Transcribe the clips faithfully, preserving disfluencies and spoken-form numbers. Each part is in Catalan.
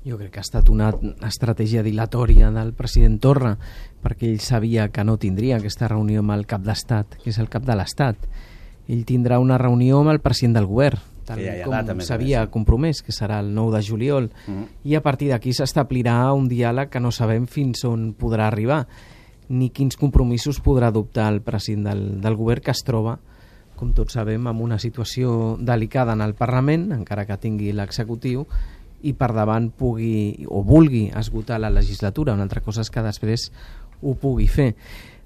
Jo crec que ha estat una estratègia dilatòria del president Torra, perquè ell sabia que no tindria aquesta reunió amb el cap d'estat, que és el cap de l'estat. Ell tindrà una reunió amb el president del govern, tal ja, ja, com data, s'havia compromès, que serà el nou de juliol, mm-hmm. i a partir d'aquí s'establirà un diàleg que no sabem fins on podrà arribar, ni quins compromisos podrà adoptar el president del, del govern, que es troba, com tots sabem, en una situació delicada en el Parlament, encara que tingui l'executiu, i per davant pugui o vulgui esgotar la legislatura. Una altra cosa és que després ho pugui fer.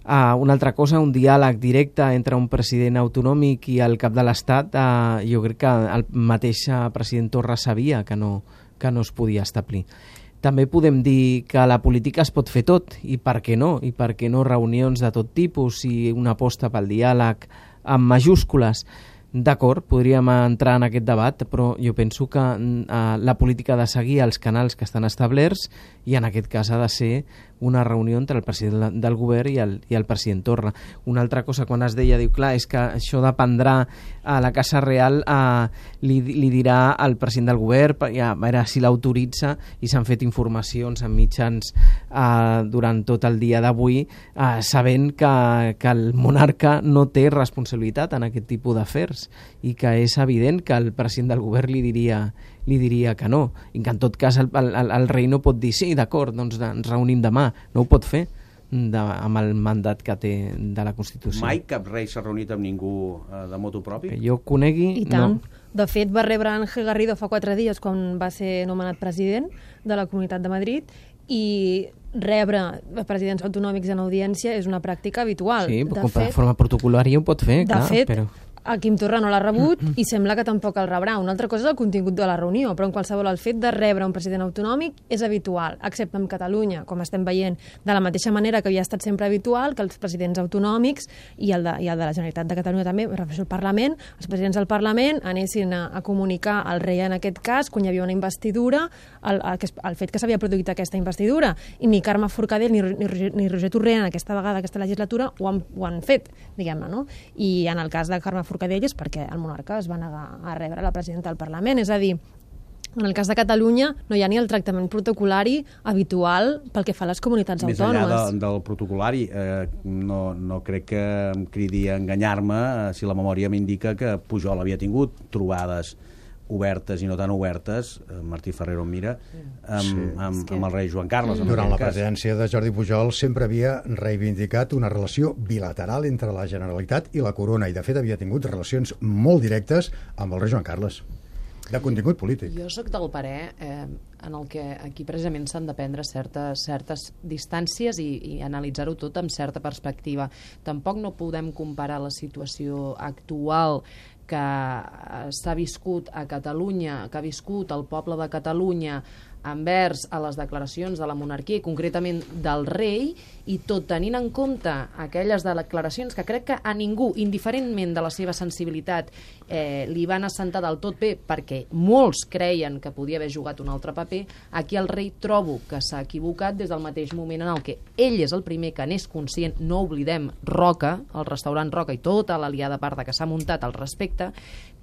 Uh, una altra cosa, un diàleg directe entre un president autonòmic i el cap de l'Estat, uh, jo crec que el mateix president Torra sabia que no, que no es podia establir. També podem dir que la política es pot fer tot, i per què no? I per què no reunions de tot tipus i una aposta pel diàleg amb majúscules? D'acord, podríem entrar en aquest debat, però jo penso que uh, la política ha de seguir els canals que estan establerts, i en aquest cas ha de ser una reunió entre el president del govern i el, i el president Torra. Una altra cosa, quan es deia, diu, clar, és que això dependrà a la Casa Real, eh, li, li dirà al president del govern, ja, a veure si l'autoritza, i s'han fet informacions en mitjans eh, durant tot el dia d'avui, eh, sabent que, que el monarca no té responsabilitat en aquest tipus d'afers, i que és evident que el president del govern li diria li diria que no, i que en tot cas el, el, el rei no pot dir sí, d'acord, doncs ens reunim demà, no ho pot fer de, amb el mandat que té de la Constitució. Mai cap rei s'ha reunit amb ningú eh, de motu propi? Que jo conegui, I tant. no. De fet, va rebre Ángel Garrido fa quatre dies quan va ser nomenat president de la Comunitat de Madrid, i rebre presidents autonòmics en audiència és una pràctica habitual. Sí, de com fet, de forma protocolària ho pot fer, de clar, fet, però... el Quim Torra no l'ha rebut i sembla que tampoc el rebrà. Una altra cosa és el contingut de la reunió, però en qualsevol el fet de rebre un president autonòmic és habitual, excepte en Catalunya, com estem veient, de la mateixa manera que havia estat sempre habitual que els presidents autonòmics i el de, i el de la Generalitat de Catalunya també, refereixo al Parlament, els presidents del Parlament anessin a, a comunicar al rei en aquest cas, quan hi havia una investidura, el, el, el fet que s'havia produït aquesta investidura, i ni Carme Forcadell ni, ni, ni Roger Torrent en aquesta vegada, aquesta legislatura, ho han, ho han fet, diguem-ne, no? I en el cas de Carme Forcadell és perquè el monarca es va negar a rebre la presidenta del Parlament. És a dir, en el cas de Catalunya no hi ha ni el tractament protocolari habitual pel que fa a les comunitats Més autònomes. Més enllà de, del protocolari, eh, no, no crec que em cridi a enganyar-me eh, si la memòria m'indica que Pujol havia tingut trobades obertes i no tan obertes, eh, Martí Ferrero em mira, amb, sí. amb, que... amb el rei Joan Carles. Durant la presidència de Jordi Pujol sempre havia reivindicat una relació bilateral entre la Generalitat i la Corona, i de fet havia tingut relacions molt directes amb el rei Joan Carles, de contingut polític. Jo sóc del parer eh, en el que aquí precisament s'han de prendre certes, certes distàncies i, i analitzar-ho tot amb certa perspectiva. Tampoc no podem comparar la situació actual que s'ha viscut a Catalunya, que ha viscut el poble de Catalunya envers a les declaracions de la monarquia i concretament del rei, i tot tenint en compte aquelles declaracions que crec que a ningú, indiferentment de la seva sensibilitat, eh, li van assentar del tot bé, perquè molts creien que podia haver jugat un altre paper, aquí el rei trobo que s'ha equivocat des del mateix moment en el que ell és el primer que n'és conscient. No oblidem Roca, el restaurant Roca i tota l'aliada parda que s'ha muntat al respecte,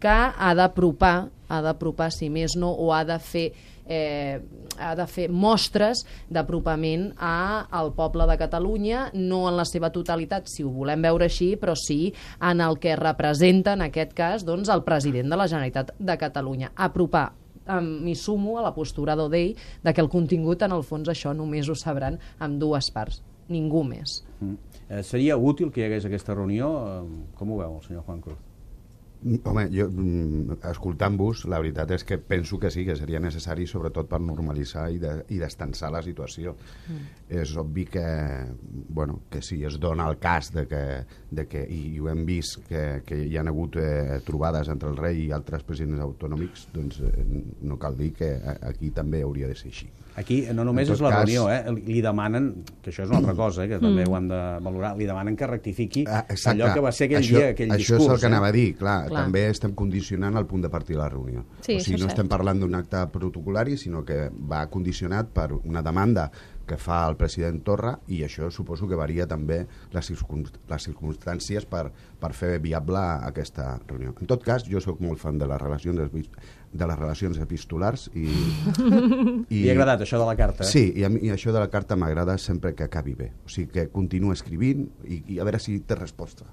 que ha d'apropar, ha d'apropar, si més no, o ha de fer Eh, ha de fer mostres d'apropament al poble de Catalunya, no en la seva totalitat, si ho volem veure així, però sí en el que representa, en aquest cas, doncs, el president de la Generalitat de Catalunya. Apropar, m'hi sumo a la postura d'Odey, de que el contingut, en el fons, això només ho sabran amb dues parts, ningú més. Mm. Eh, seria útil que hi hagués aquesta reunió? Com ho veu el senyor Juan Cruz? Home, jo, escoltant-vos, la veritat és que penso que sí, que seria necessari, sobretot per normalitzar i, de, i destensar la situació. Mm. És obvi que, bueno, que si es dona el cas de que, de que i ho hem vist, que, que hi ha hagut eh, trobades entre el rei i altres presidents autonòmics, doncs eh, no cal dir que aquí també hauria de ser així. Aquí no només és la cas... reunió, eh? li demanen, que això és una altra cosa, eh? que també mm. ho hem de valorar, li demanen que rectifici ah, allò que va ser aquell això, dia, aquell això discurs. Això és el que eh? anava a dir, clar, Clar. també estem condicionant el punt de partida de la reunió. Sí, o sigui, això no és estem cert. parlant d'un acte protocolari, sinó que va condicionat per una demanda que fa el president Torra, i això suposo que varia també les, circunst les circumstàncies per, per fer viable aquesta reunió. En tot cas, jo sóc molt fan de les relacions, de les relacions epistolars i... i... Li ha agradat això de la carta? Eh? Sí, i, a mi, i això de la carta m'agrada sempre que acabi bé. O sigui, que continuo escrivint i, i a veure si té resposta.